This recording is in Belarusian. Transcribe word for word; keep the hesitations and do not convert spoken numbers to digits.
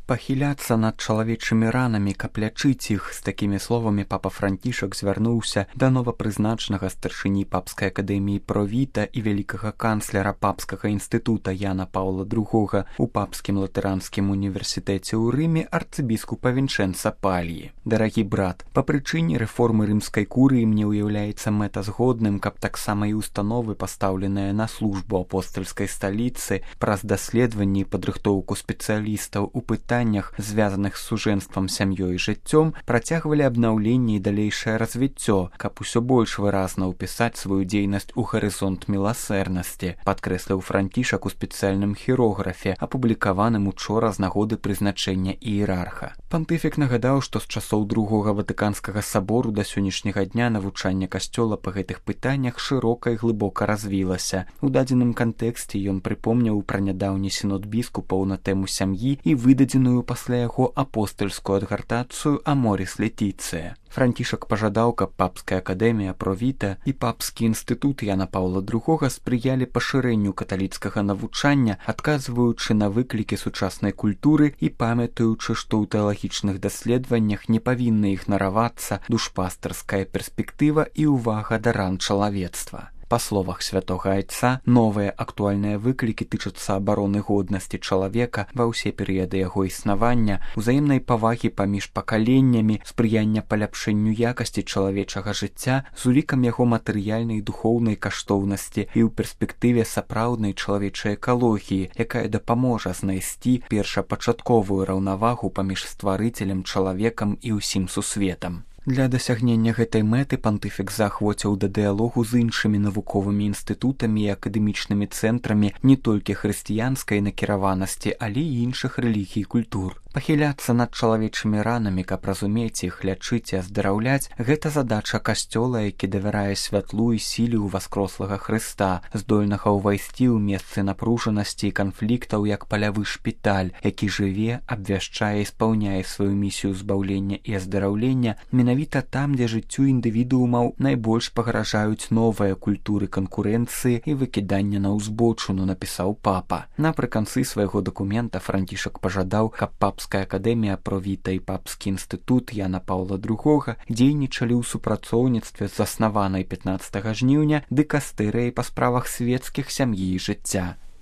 Пахіляцца над чалавечымі ранамі, каб лячыць іх. З такімі словамі папа Францішак звярнуўся да новапрызначанага старшыні папскай акадэміі Провіта і вялікага канцлера папскага інстытута Яна Паўла другога у папскім латаранскім універсітэце ў Рыме арцыбіскупа Вінчэнца Пальі. Дарагі брат, па прычыне рэформы рымскай курыі мне ўяўляецца мэтазгодным, каб таксама і установы, пастаўленыя на службу апостальскай сталіцы, праз даследаванні і падрыхтоўку спецыялістаў у пытаннях, звязаных з сужэнствам, сям'ёй і жыццём, працягвалі абнаўленне і далейшае развіццё, каб усё больш выразна ўпісаць сваю дзейнасць у гарызонт міласэрнасці, падкрэсліў Францішак у спецыяльным хірографе, апублікаваным учора з нагоды прызначэння іерарха. Пантыфік нагадаў, што з часоў другога ватыканскага сабору да сённяшняга дня навучанне касцёла па гэтых пытаннях шырока і глыбока развілася. У дадзеным кантэксце ён прыпомніў пра нядаўні сінод біскупаў на тэму сям'і і выдадзеную пасля яго апостальскую адгартацыю Аморіс Летіцыя. Францішак пажадаў, каб папская акадэмія Провіта і папскі інстытут Яна Паўла другога спрыялі пашырэнню каталіцкага навучання, адказваючы на выклікі сучаснай культуры і памятаючы, што ў тэалагічных даследаваннях не павінна ігнаравацца душпастарская перспектыва і ўвага да ран чалавецтва. Па словах святога айца, новыя актуальныя выклікі тычацца абароны годнасці чалавека ва ўсе перыяды яго існавання, узаемнай павагі паміж пакаленнямі, спрыяння паляпшэнню якасці чалавечага жыцця з улікам яго матэрыяльнай і духоўнай каштоўнасці і ў перспектыве сапраўднай чалавечай экалогіі, якая дапаможа знайсці першапачатковую раўнавагу паміж стварыцелем, чалавекам і ўсім сусветам. Для дасягнення гэтай мэты пантыфік заахвоціў да дыялогу з іншымі навуковымі інстытутамі і акадэмічнымі цэнтрамі не толькі хрысціянскай накіраванасці, але і іншых рэлігій і культур. Пахіляцца над чалавечымі ранамі, каб разумець іх, лячыць і аздараўляць – гэта задача касцёла, які давярае святлу і сіле ў васкрослага Хрыста, здольнага ўвайсці ў месцы напружанасці і канфліктаў як палявы шпіталь, які жыве, абвяшчае і спаўняе сваю місію збаўлення і аздараўлення менавіта там, дзе жыццю індывідуумаў найбольш пагражаюць новыя культуры канкурэнцыі і выкідання на ўзбочыну, напісаў папа. Напрыканцы свайго дакумента Францішак пажадаў, каб папская акадэмія Провіта і папскі інстытут Яна Паўла другога дзейнічалі ў супрацоўніцтве з заснаванай пятнаццатага жніўня дыкастэрыяй па справах свецкіх, сям'і і жыцця.